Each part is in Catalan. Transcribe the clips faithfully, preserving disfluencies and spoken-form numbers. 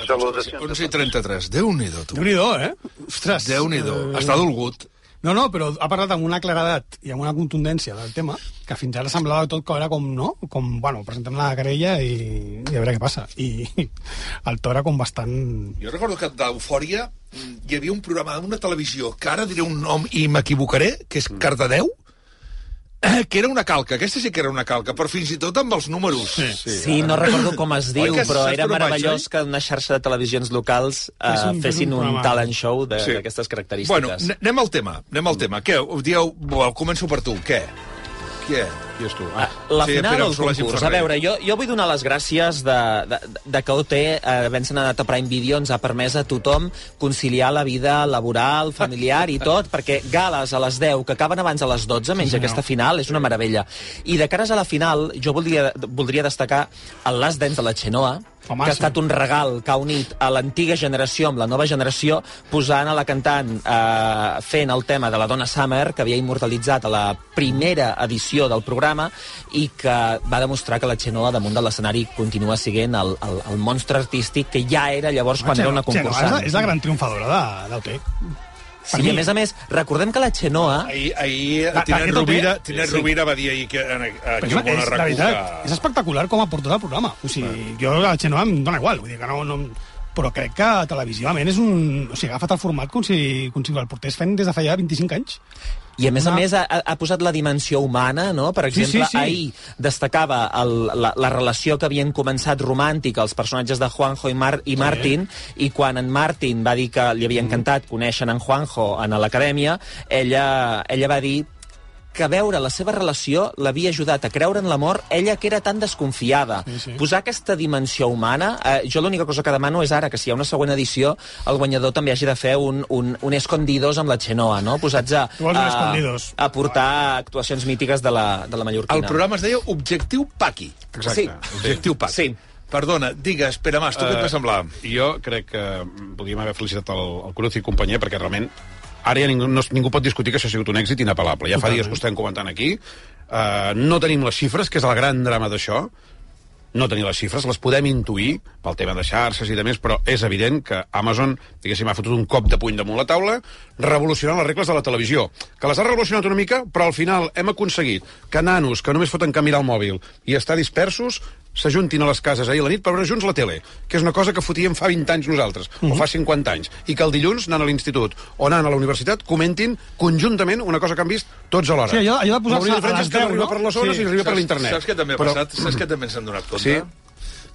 Salutacions. onze i trenta-tres. Déu-n'hi-do, tu. Déu-n'hi-do, eh? Ostres. Déu-n'hi-do. Està dolgut. No, no, però ha parlat amb una claredat i amb una contundència del tema que fins ara semblava tot que era com, no? Com, bueno, presentem la querella i, i a veure què passa. I el to era com bastant... Jo recordo que d'Eufòria hi havia un programa d'una televisió que ara diré un nom i m'equivocaré, que és Cardedeu, que era una calca, aquesta sí que era una calca, però fins i tot amb els números. Sí, sí, sí no recordo com es diu, Oi, però era meravellós vaig, que una xarxa de televisions locals eh, un, fessin un, un talent show d'aquestes sí. característiques. Bueno, anem al tema, anem al tema. Què, dieu, bueno, començo per tu, què? Què? Qui és tu? Ah. La sí, final del concurs. A veure, jo, jo vull donar les gràcies de, de, de que O T, eh, havent-se anat a Prime Video, ens ha permès a tothom conciliar la vida laboral, familiar i tot, perquè gales a les deu, que acaben abans a les dotze, menys sí, aquesta final, és una meravella. I de cares a la final, jo voldria, voldria destacar el Last Dance de la Xenoa, Home, que ha estat un regal que ha unit a l'antiga generació amb la nova generació, posant a la cantant eh, fent el tema de la Donna Summer, que havia immortalitzat a la primera edició del programa i que va demostrar que la Xenoa damunt de l'escenari continua sent el, el, el monstre artístic que ja era llavors quan era una concursant. Xenoa és la gran triomfadora d'O T. Sí, i a més a més, recordem que la Xenoa... Ahir, ahir Tinent Rovira, Tinent Rovira va dir ahir que aquí ho vol arreglar. És espectacular com ha portat el programa. O sigui, jo la Xenoa em dona igual, vull dir que no... no però crec que televisivament és un... O sigui, ha agafat el format com si, com si el portés fent des de fa ja vint-i-cinc anys. I a més Una... a més ha, ha posat la dimensió humana, no? Per exemple, sí, sí, sí. ahir destacava el, la, la relació que havien començat romàntica els personatges de Juanjo i, Mar, i Martin, sí. i quan en Martin va dir que li havia encantat conèixer en Juanjo a l'acadèmia, ella, ella va dir que veure la seva relació l'havia ajudat a creure en l'amor, ella que era tan desconfiada. Sí, sí. Posar aquesta dimensió humana, eh, jo l'única cosa que demano és ara que si hi ha una següent edició, el guanyador també hagi de fer un, un, un escondidos amb la Xenoa, no? Posats a, a, a portar actuacions mítiques de la, de la mallorquina. El programa es deia Objectiu Paqui. Exacte. Sí. Objectiu Paqui. Sí. Perdona, digues, Pere Mas, tu uh, què et va semblar? Jo crec que podríem haver felicitat el, el Cruz i companyia, perquè realment ara ja ningú, no, ningú pot discutir que això ha sigut un èxit inapel·lable. Ja fa dies que ho estem comentant aquí. Uh, no tenim les xifres, que és el gran drama d'això. No tenim les xifres, les podem intuir pel tema de xarxes i de més, però és evident que Amazon, diguéssim, ha fotut un cop de puny damunt la taula, revolucionant les regles de la televisió. Que les ha revolucionat una mica, però al final hem aconseguit que nanos que només foten que mirar el mòbil i estar dispersos s'ajuntin a les cases ahir a la nit per veure junts la tele, que és una cosa que fotíem fa vint anys nosaltres, mm-hmm. o fa cinquanta anys, i que el dilluns, anant a l'institut o anant a la universitat, comentin conjuntament una cosa que han vist tots alhora. Sí, allò, allò de posar-se a les deu, no? Per les zones sí. i arriba per l'internet. Saps què també ha passat? Però... Saps què també ens hem donat compte? Sí.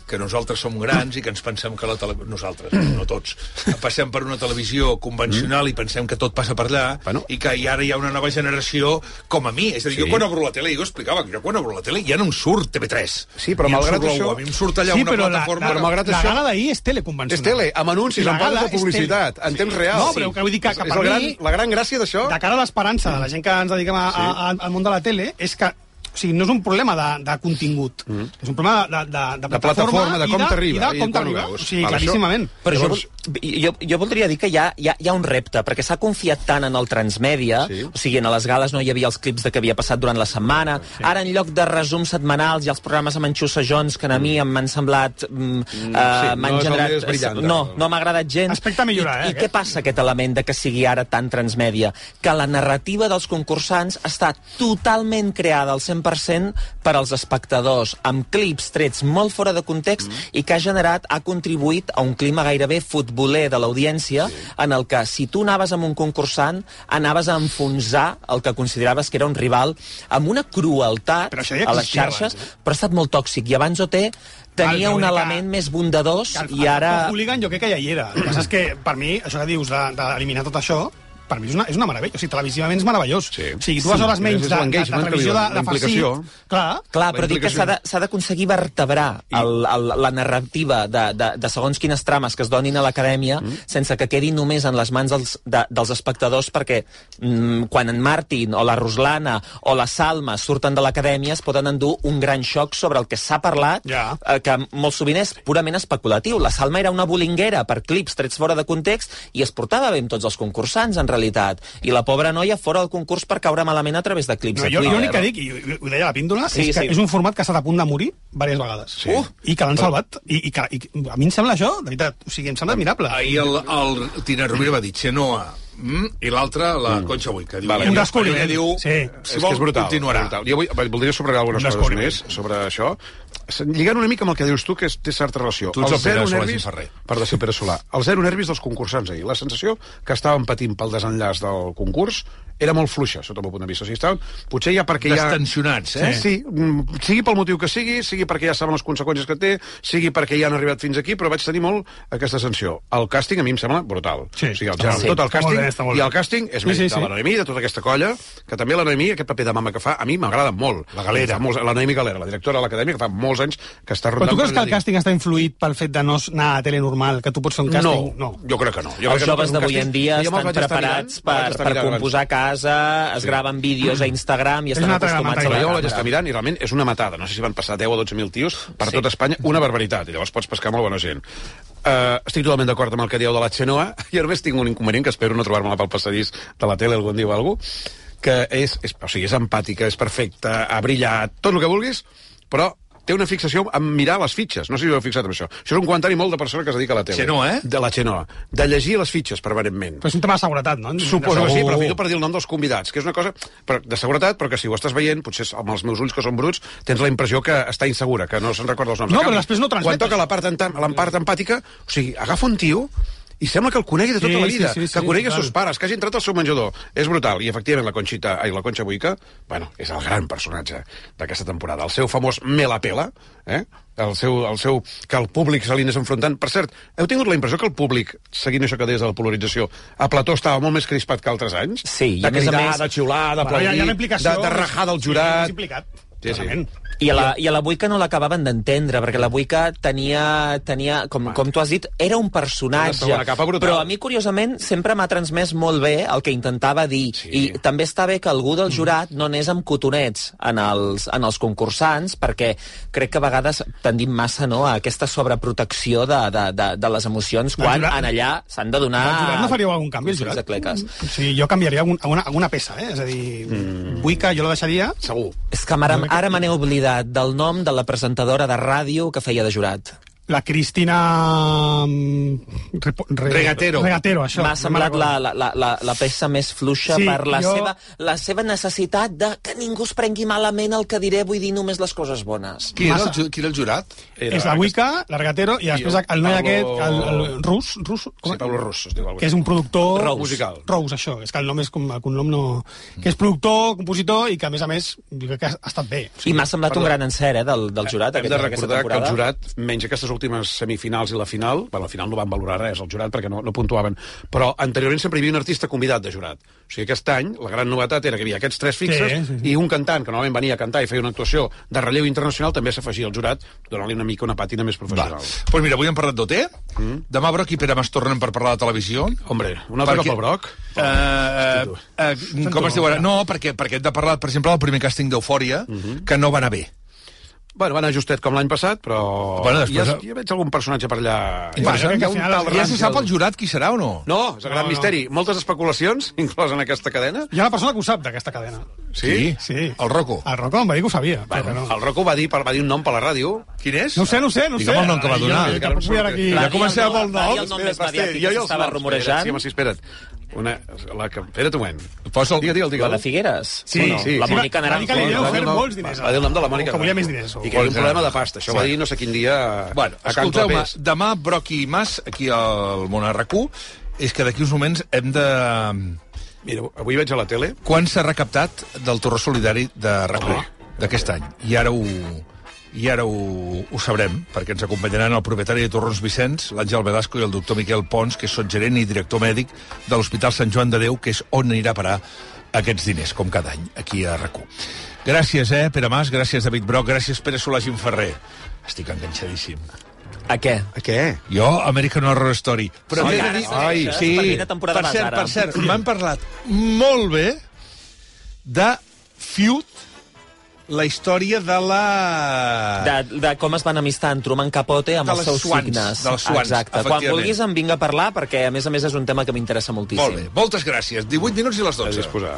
Que nosaltres som grans i que ens pensem que la televisió... Nosaltres, no tots. Passem per una televisió convencional mm. i pensem que tot passa per allà, bueno. i que ara hi ha una nova generació com a mi. És a dir, sí. jo quan obro la tele, jo explicava que jo quan obro la tele ja no em surt T V tres. Sí, però malgrat això... A mi em surt allà sí, una plataforma... La, la, la, la gala d'ahir és tele convencional. És tele, amb anuncis, amb parts de publicitat, en temps real. No, però que vull dir que, que per és mi... Gran, la gran gràcia d'això... De cara a l'esperança de la gent que ens dediquem a, sí. a, a, al món de la tele, és que o sigui, no és un problema de, de contingut, mm. és un problema de, de, de, de plataforma, de com t'arriba. I de com t'arriba, o sigui, claríssimament. Però Llavors... jo, jo, jo voldria dir que hi ha, hi ha, hi ha un repte, perquè s'ha confiat tant en el transmèdia, sí. o sigui, a les gales no hi havia els clips de què havia passat durant la setmana, sí. ara en lloc de resums setmanals i els programes amb enxussejons que a mi mm. m'han semblat... Mm, mm, uh, sí, m'han no generat... Brillant, no, no m'ha agradat gens. Aspecte a millorar, I, eh? I què passa aquest element de que sigui ara tan transmèdia? Que la narrativa dels concursants està totalment creada al cent per cent per als espectadors, amb clips trets molt fora de context mm. i que ha generat, ha contribuït a un clima gairebé futboler de l'audiència, sí. en el que si tu anaves amb un concursant, anaves a enfonsar el que consideraves que era un rival amb una crueltat ja a les xarxes, abans, eh? però ha estat molt tòxic. I abans O T tenia un element que, més bondadós que el, i ara... El hooligan jo crec que ja hi era. El que passa és que, per mi, això que dius d'eliminar tot això, per mi és una, és una meravella. O sigui, televisivament és meravellós. Sí. O sigui, dues sí. hores menys de, de, de televisió de, de farcit. Clar, Clar però dic que s'ha d'aconseguir vertebrar I... el, el, la narrativa de, de, de segons quines trames que es donin a l'acadèmia mm. sense que quedi només en les mans dels, de, dels espectadors, perquè mm, quan en Martin o la Ruslana o la Salma surten de l'acadèmia es poden endur un gran xoc sobre el que s'ha parlat, ja. eh, que molt sovint és purament especulatiu. La Salma era una bolinguera per clips trets fora de context i es portava bé amb tots els concursants, en realitat. I la pobra noia fora del concurs per caure malament a través de clips no, de jo, Twitter. Jo l'únic que dic, i ho deia la píndola, sí, és que sí. és un format que ha estat a punt de morir diverses vegades. Sí. Uh, I que l'han salvat. I, i, que, I a mi em sembla això, de veritat, o sigui, em sembla admirable. Ahir el, el Tina Rovira va dir Xenoa, mm, i l'altre, la mm. Concha Buica. Diu, vale, un descobriment. Diu, sí. Si vol, és brutal, continuarà. Brutal. Jo vull, voldria subratllar algunes coses més sobre això. Lligant una mica amb el que dius tu, que té certa relació. Tu ets el, el Pere nervis, Ferrer. Per de ser Pere Solà. El zero nervis dels concursants ahir. La sensació que estaven patint pel desenllaç del concurs era molt fluixa, sota el meu punt de vista. O sigui, estaven, potser ja perquè ja... Destensionats, eh? Sí, sí, sigui pel motiu que sigui, sigui perquè ja saben les conseqüències que té, sigui perquè ja han arribat fins aquí, però vaig tenir molt aquesta sensació. El càsting a mi em sembla brutal. Sí, o sigui, el, ja, sí. tot el càsting, bé, i el càsting és més sí, sí, de la Noemí, de tota aquesta colla, que també la Noemí, aquest paper de mama que fa, a mi m'agrada molt. La Galera. Molts, la Noemí Galera, la directora de l'acadèmia, que fa molts anys que està rondant... Però tu creus que el càsting està influït pel fet de no anar a tele normal, que tu pots fer un càsting? No, no. jo crec que no. Jo Els joves d'avui en dia estan preparats per, per composar a casa, es graven vídeos a Instagram i estan acostumats a la jo vaig estar mirant i realment és una matada. No sé si van passar deu o dotze mil tios per sí. tot Espanya, una barbaritat. I llavors pots pescar molt bona gent. Uh, estic totalment d'acord amb el que dieu de la Xenoa i a més tinc un inconvenient que espero no trobar-me-la pel passadís de la tele algun dia o alguna cosa, que és, és, o sigui, és empàtica, és perfecta, ha brillat, tot el que vulguis, però té una fixació en mirar les fitxes. No sé si ho heu fixat en això. Això és un comentari molt de persona que es dedica a la tele. Xenoa, eh? De la Xenoa. De llegir les fitxes permanentment. Però és un tema de seguretat, no? Suposo que sí, però fito per dir el nom dels convidats, que és una cosa de seguretat, però que si ho estàs veient, potser amb els meus ulls que són bruts, tens la impressió que està insegura, que no se'n recorda els noms. No, però després no transmet. Quan toca la part, la part empàtica, o sigui, agafa un tio i sembla que el conegui de tota sí, la vida, sí, sí, sí, que conegui els seus pares, que hagi entrat al seu menjador. És brutal. I, efectivament, la Conxita, ai, la Concha Buica, bueno, és el gran personatge d'aquesta temporada. El seu famós me la pela, eh? El seu, el seu, que el públic se li anés enfrontant. Per cert, heu tingut la impressió que el públic, seguint això que deies de la polarització, a plató estava molt més crispat que altres anys? Sí, de cridar, més... de xiular, d'aplaudir, bueno, de, de rajar del jurat... Sí, implicat. Sí, sí. I a la, i a la Buica no l'acabaven d'entendre, perquè la Buica tenia, tenia com, com tu has dit, era un personatge. Però a mi, curiosament, sempre m'ha transmès molt bé el que intentava dir. Sí. I també està bé que algú del jurat no anés amb cotonets en els, en els concursants, perquè crec que a vegades tendim massa, no, a aquesta sobreprotecció de, de, de, de les emocions, quan jurat, en allà s'han de donar... El jurat no faríeu algun canvi, el jurat? Sí, jo canviaria algun, alguna, alguna peça, eh? És a dir, mm. Buica jo la deixaria... Segur. És que ara, ara me n'he oblidat del nom de la presentadora de ràdio que feia de jurat. La Cristina... Re... Regatero. Regatero, això. M'ha semblat la, la, la, la peça més fluixa sí, per la, jo... seva, la seva necessitat de que ningú es prengui malament el que diré, vull dir només les coses bones. Qui era el, qui era el jurat? Era és la Buica, la Regatero, i després el noi aquest, el, el Rus, Rus com? Sí, Pablo Rus, es diu alguna. Que és un productor... Rous. Musical. Rous, això, és que el nom és com... El cognom no... Que és productor, compositor, i que a més a més, dic que ha estat bé. Sí, I m'ha semblat perdó. un gran encert, eh, del, del jurat. Hem de recordar que el jurat, menys aquestes últimes semifinals i la final, bueno, al final no van valorar res el jurat perquè no, no puntuaven, però anteriorment sempre hi havia un artista convidat de jurat. O sigui, aquest any la gran novetat era que hi havia aquests tres fixes sí, sí, sí. i un cantant que normalment venia a cantar i feia una actuació de relleu internacional també s'afegia al jurat, donant-li una mica una pàtina més professional. Doncs pues mira, avui hem parlat d'O T, mm. demà Broc i Pere Mas tornen per parlar de televisió. Hombre, una altra pel Broc. Uh, uh, uh, com es diu ara? No, perquè, perquè hem de parlar, per exemple, del primer càsting d'Eufòria, mm -hmm. que no va anar bé. Bueno, va anar justet com l'any passat, però... Bueno, després... ja, ja veig algun personatge per allà... Va, ja, ja, tal ja se sap el jurat qui serà o no? No, és el gran no, misteri. No. Moltes especulacions, inclòs en aquesta cadena. Hi ha una persona que ho sap, d'aquesta cadena. Sí? Sí. El Rocco. El Rocco em va dir que ho sabia. Bueno, no. El Rocco va dir, va dir un nom per la ràdio. Quin és? No ho sé, no ho sé, no ho sé. Digue'm el nom que va donar. Jo, jo, jo, aquí. Ja comencem amb el nom. El nom més mediàtic que s'estava rumorejant. Sí, home, sí, espera't. Una, la que... Espera't un moment. Posa el... Digue, digue, digue. La de Figueres? Sí, bueno, sí. La Mònica Naranjo. Naranjo. Va dir molts diners. Va dir el nom de la Mònica Que volia més diners. I que hi havia un problema de pasta. Això va dir no sé quin dia... Bueno, escolteu-me, demà Broc i Mas, aquí al Món R Q, és que d'aquí uns moments hem de... Mira, avui veig a la tele... Quan s'ha recaptat del torró solidari de R Q d'aquest any? I ara ho... I ara ho, ho sabrem, perquè ens acompanyaran el propietari de Torrons Vicenç, l'Àngel Velasco, i el doctor Miquel Pons, que és sotgerent i director mèdic de l'Hospital Sant Joan de Déu, que és on anirà a parar aquests diners, com cada any, aquí a R Q. Gràcies, eh, Pere Mas, gràcies, David Broc, gràcies, Pere Solà Ferrer. Estic enganxadíssim. A què? A què? Jo, American Horror Story. Però sí, ai, ai, sí, per, per cert, per cert, m'han parlat molt bé de Feud la història de la... De, de com es van amistar en Truman Capote amb els seus swans, signes. Dels swans, exacte. Quan vulguis em vinga a parlar, perquè a més a més és un tema que m'interessa moltíssim. Molt bé, moltes gràcies. divuit minuts i les dotze. A disposar.